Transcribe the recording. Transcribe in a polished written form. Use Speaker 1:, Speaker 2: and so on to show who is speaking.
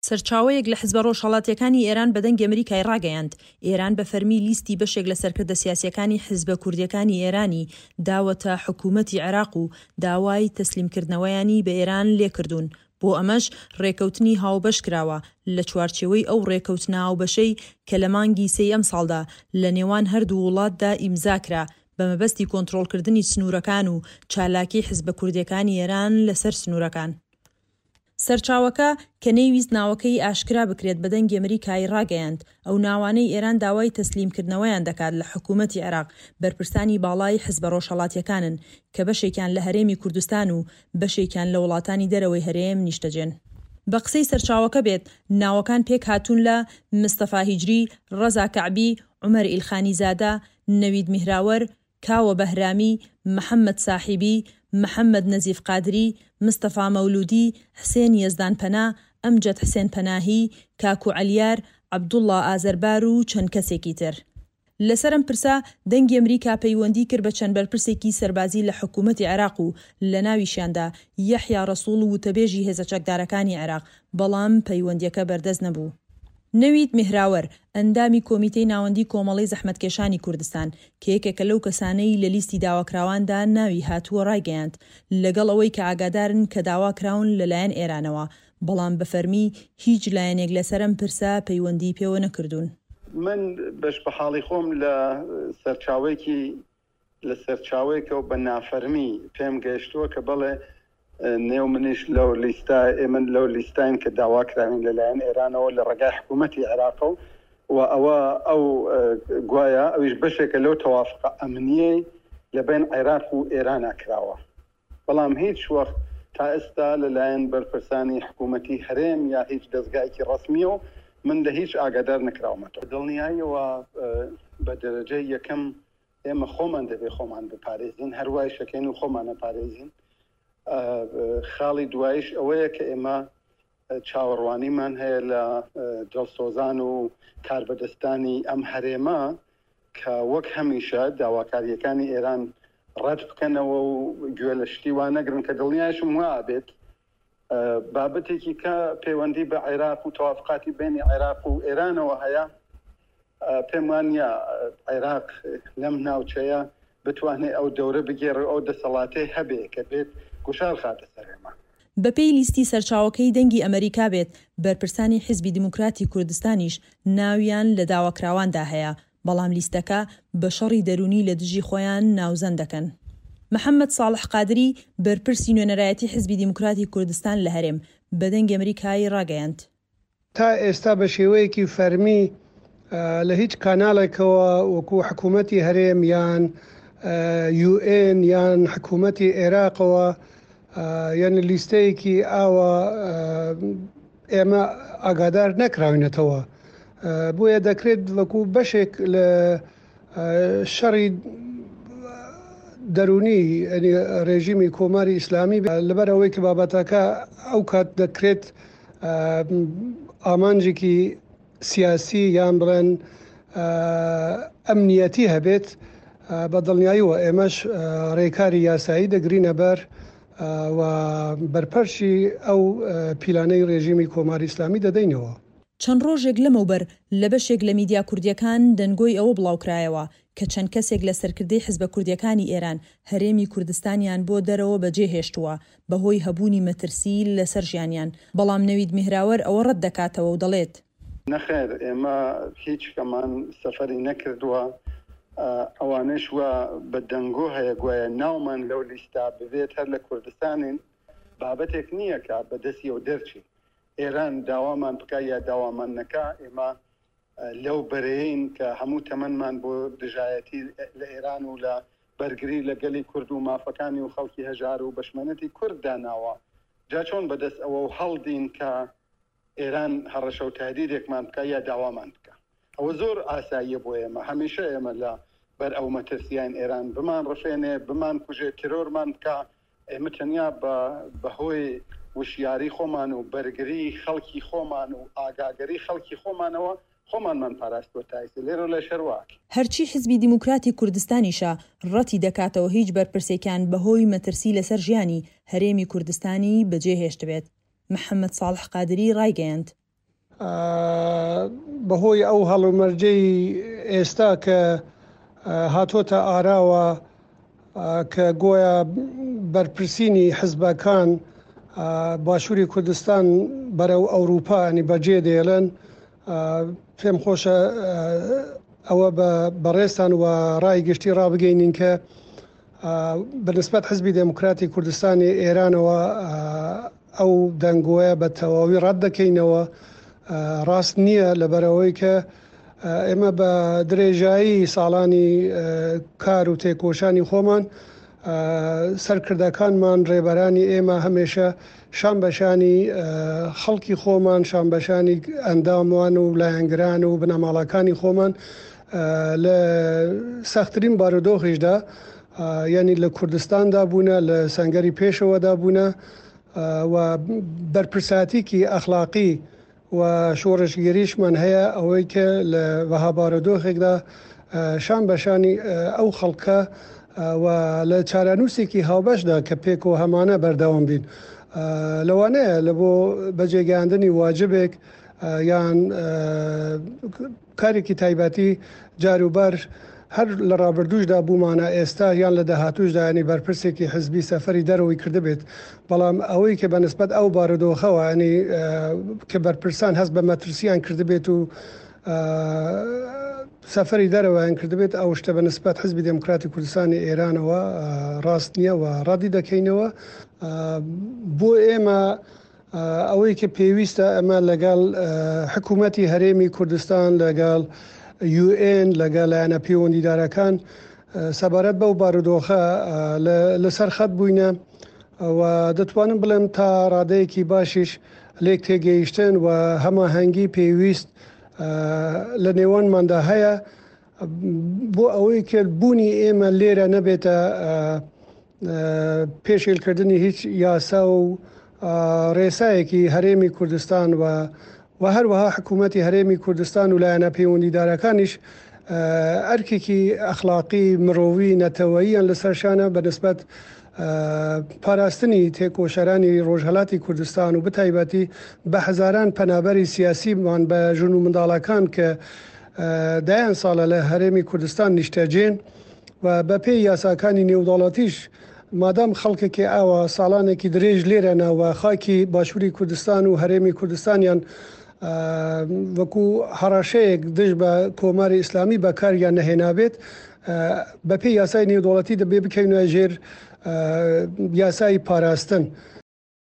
Speaker 1: سەرچاوەیەک لە حزبە ڕۆژهەڵاتییەکانی ئێران بە دەنگی ئەمریکای ڕاگەیاند، ئێران بە فەرمی لیستی بەشێک لە سەرکردە سیاسییەکانی حزبە کوردییەکانی ئێرانی داوەتە حکوومەتی عێراق و داوای تەسلیمکردنەوەیانی بە ئێران لێکردوون، بۆ ئەمەش ڕێکەوتنی هاوبەش کراوە لە چوارچێوەی ئەو ڕێکەوتنە هاوبەشەی کە لە مانگی سێی ئەمساڵدا لە نێوان هەردوو وڵاتدا ئیمزا کرا بە مەبەستی کۆنترۆڵکردنی سنوورەکان و چالاکی حزبە کوردییەکانی ئێران لەسەر سنوورەکان. سەرچاوەکە، کە نەیویست ناوەکەی ئاشکرا بکرێت بە دەنگی ئەمریکای ڕاگەیاند، ئەو ناوانەی ئێران داوای تەسلیمکردنەوەیان دەکات لە حکوومەتی عێراق بەرپرسانی باڵای حزبە ڕۆژهەڵاتییەکانن کە بەشێکیان لە هەرێمی کوردستان و بەشێکیان لە وڵاتانی دەرەوەی هەرێم نیشتەجێن. بە قسەی سەرچاوەکە بێت، ناوەکان پێکهاتوون لە، مستەفا هیجری، ڕەزا کەعبی، عومەر ئیلخانیزادە، نەوید میهراوەر، کاوە بەهرامی، محەمەد ساحیبی، محەمەد نەزیف قادری، مستەفا مەولوودی، حسێن یەزدانپەنا، ئەمجەد حسێن پەناهی، کاکو عەلیار، عەبدوڵڵا ئازەربار و چەند کەسێکی تر. لەسەر ئەم پرسە، دەنگی ئەمریکا پەیوەندی کرد بە چەند بەرپرسێکی سەربازی لە حکوومەتی عێراق و لەناویشیاندا یەحیا ڕەسووڵ وتەبێژی هێزە چەکدارەکانی عێراق، بەڵام پەیوەندییەکە بەردەست نەبوو. نەوید مێهراوەر، ئەندامی کۆمیتەی ناوەندی کۆمەڵەی زەحمەتکێشانی کوردستان، کە یەکێکە لەو کەسانەی لە لیستی داواکراواندا ناوی هاتووە ڕایگەیاند، لەگەڵ ئەوەی کە ئاگادارن کە داواکراون لەلایەن ئێرانەوە، بەڵام بە فەرمی هیچ لایەنێک لەسەر ئەم پرسە پەیوەندیی پێوە نەکردوون.
Speaker 2: من بەش بە حاڵی خۆم لە سەرچاوەیەکی لە سەرچاوەیەکەوە بە نافەرمی پێم گەیشتووە کە بەڵێ نێو منیش لەو لیستە ئێمە لەو لیستاین کە داوا کراوین لەلایەن ئێرانەوە لە ڕێگای حکوومەتی عێراقەوە و ئەوە ئەو گوایە ئەویش بەشێکە لەو تەوافقە ئەمنیەی لە بەین عێراق و ئێرانا کراوە. بەڵام هیچ وەخت تا ئێستا لە لایەن بەرپرسانی حکوومەتی هەرێم یا هیچ دەزگایەکی ڕەسمیەوە من لە هیچ ئاگادار نەکراومەتەوە. دڵنیایەوە بە دەرەجەی یەکەم ئێمە خۆمان دەبێ خۆمان بپارێزین، هەر وایش ئەکەین و خۆمان ئەپارێزین. خاڵی دوایش ئەوەیە کە ئێمە چاوەڕوانیمان هەیە لە دڵسۆزان و کاربەدەستانی ئەم هەرێمە کە وەک هەمیشە داواکارییەکانی ئێران ڕەت بکەنەوە و گوێ لە شتی وا نەگرن کە دڵنیایشم وا ئەبێت. بابەتێکی کە پەیوەندی بە عێراق و تەوافقاتی بەینی عێراق و ئێرانەوە هەیە، پێم وا نییە عێراق لەم ناوچەیە بتوانێ ئەو دەورە بگێڕێ و ئەو دەسەڵاتەی هەبێ کە بێت گوشار خاتە سەر ئێمە.
Speaker 1: بەپێی لیستی سەرچاوەکەی دەنگی ئەمەریکا بێت، بەرپرسانی حیزبی دیموکراتی کوردستانیش ناویان لە داواکراواندا هەیە، بەڵام لیستەکە بە شەڕی دەروونی لە دژی خۆیان ناوزەند دەکەن. محەمەد ساڵح قادری، بەرپرسی نوێنەرایەتی حیزبی دیموکراتی کوردستان لە هەرێم، بە دەنگی ئەمریکای ڕاگەیاند،
Speaker 3: تا ئێستا بە شێوەیەکی فەرمی لە هیچ کاناڵێکەوە وەکو حکوومەتی هەرێم یان یو ئێن یان حکوومەتی عێراقەوە یعنی لیستەیەکی ئاوا ئێمە ئاگادار نەکراوینەتەوە بۆیە دەکرێت وەکو بەشێک لە شەڕی دەروونی ڕێژیمی کۆماری ئیسلامی لەبەر ئەوەی کە بابەتەکە ئەو کات دەکرێت ئامانجێکی سیاسی یان بڵێن ئەمنیەتی هەبێت بە دڵنیاییەوە ئێمەش ڕێکاری یاسایی دەگرینە بەر و بەرپەرچی ئەو پیلانەی ڕێژیمی کۆماری ئیسلامی دەدەینەوە.
Speaker 1: چەند ڕۆژێک لەمەوبەر لە بەشێک لە میدیا کوردییەکان دەنگۆی ئەوە بڵاوکرایەوە کە چەند کەسێک لە سەرکردەی حزبە کوردییەکانی ئێران هەرێمی کوردستانیان بۆ دەرەوە بەجێهێشتووە بەهۆی هەبوونی مەترسی لەسەر ژیانیان، بەڵام نەوید میهراوەر ئەوە ڕەت دەکاتەوە و دەڵێت.
Speaker 2: نەخێر ئێمە هیچ کەمان سەفەری نەکردووە، ئەوانەش وا بە دەنگۆ هەیە گوایە ناومان لەو لیستە ببێت هەر لە کوردستانین، بابەتێک نییە کە بە دەستیەوە دەرچین، ئێران داوامان بکا یا داوامان نەکا ئێمە لەو بەرەیەین کە هەموو تەمەنمان بۆ دژایەتی لە ئێران و لە بەرگری لە گەلی کورد و مافەکانی و خەڵکی هەژار و بەشمەنەتی کورد داناوە، جا چۆن بەدەست ئەوەو هەڵدین کە ئێران هەڕەشە و تەهدیدێکمان بکا یا داوامان بکا؟ ئەوە زۆر ئاساییە بۆ ئێمە، هەمیشە ئێمە لە بەر ئەو مەترسیاین ئێران بمانڕفێنێ، بمانکوژێ، ترۆرمان بکا، ئێمە تەنیا بە بە هۆی وشیاری خۆمان و بەرگری خەڵکی خۆمان و ئاگاگەری خەڵکی خۆمانەوە خۆمانمان پاراستووە تا ئیستا لێرەو لە شەرواک.
Speaker 1: هەرچی حزبی دیموکراتی کوردستانیشە ڕەتی دەکاتەوە هیچ بەرپرسێکیان بەهۆی مەترسی لەسەر ژیانی، هەرێمی کوردستانی بەجێهێشتبێت. محەمەد ساڵح قادری ڕایگەیاند.
Speaker 3: بەهۆی ئەو هەڵومەرجەی ئێستا کە هاتۆتە ئاراوە کە گۆیا بەرپرسینی حزبەکان باشووری کوردستان بەرەو ئەوروپا ینی بەجێ دێڵن پێم خۆشە ئەوە بە بەڕێزتان و ڕای گشتی ڕابگەینین کە بەنسبەت حزبی دێموکراتی کوردستانی ئێرانەوە ئەو دەنگۆیە بە تەواوی ڕەت دەکەینەوە ڕاست نییە لەبەرئەوەی کە ئێمە بە درێژایی ساڵانی کار و تێکۆشانی خۆمان سەرکردەکانمان ڕێبەرانی ئێمە هەمێشە شان بەشانی خەڵکی خۆمان شان بەشانی ئەندامان و لایەنگران و بنەماڵەکانی خۆمان لە سەختترین بارودۆخیشدا یعنی لە کوردستاندا بوونە لە سەنگەری پێشەوەدا بوونە و بەرپرساتیکی ئەخلاقی و شۆڕشگێریشمان هەیە ئەوەی کە لە وەها بارودۆخێکدا شان بە شانی ئەو خەڵکە و لە چارەنووسێکی هاوبەشدا کە پێکەوە هەمانە بەردەوام بین. لەوانەیە لە بۆ بەجێگەیاندنی واجبێک یان کارێکی تایبەتی جاروبار هەر لە ڕابردووشدا بوومانە ئێستا یان لە داهاتووشدا یانی بەرپرسێکی حزبی سەفەری دەرەوەی کردبێت بەڵام ئەوەی کە بە نسبەت ئەو بارودۆخەوە ینی کە بەرپرسان هەست بە مەترسیان کردبێت و سەفەری دەرەوەیان کردبێت ئەو شتە بە نسبەت حزبی دێموکراتی کوردستانی ئێرانەوە ڕاست نییە و ڕەدی دەکەینەوە بۆ ئێمە ئەوەی کە پێویستە ئەمە لەگەڵ حکوومەتی هەرێمی کوردستان لەگەڵ یوئێن لەگەڵ لایەنە پەیوەندیدارەکان سەبارەت بەو بارودۆخە لەسەر خەت بووینە و دەتوانم بڵێم تا ڕادەیەکی باشیش لێک تێگەیشتن و هەماهەنگی پێویست لە نێوانماندا هەیە بۆ ئەوەی کە بوونی ئێمە لێرە نەبێتە پێشێلکردنی هیچ یاسا و ڕێسایەکی هەرێمی کوردستان و و هەروەها حکوومەتی هەرێمی کوردستان و لایەنە پەیوەندیدارەکانیش ئەرکێکی ئەخلاقی مرۆوی نەتەوەییان لەسەر شانە بە نسبەت پاراستنی تێکۆشەرانی ڕۆژهەلاتی کوردستان و بتایبەتی بە هەزاران پەنابەری سیاسیمان بە ژن و منداڵەکان کە دەیان ساڵە لە هەرێمی کوردستان نیشتەجێن و بەپێی یاساکانی نێودەوڵەتیش مادام خەڵکێکی ئاوا ساڵانێکی درێژ لێرەنە و خاکی باشووری کوردستان و هەرێمی کوردستانیان وەکو هەڕەشەیەک دژ بە کۆماری ئیسلامی بەکاریان نەهێنابێت بەپێی یاسای نێودەوڵەتی دەبێ بکەوینە ژێر یاسای پاراستن.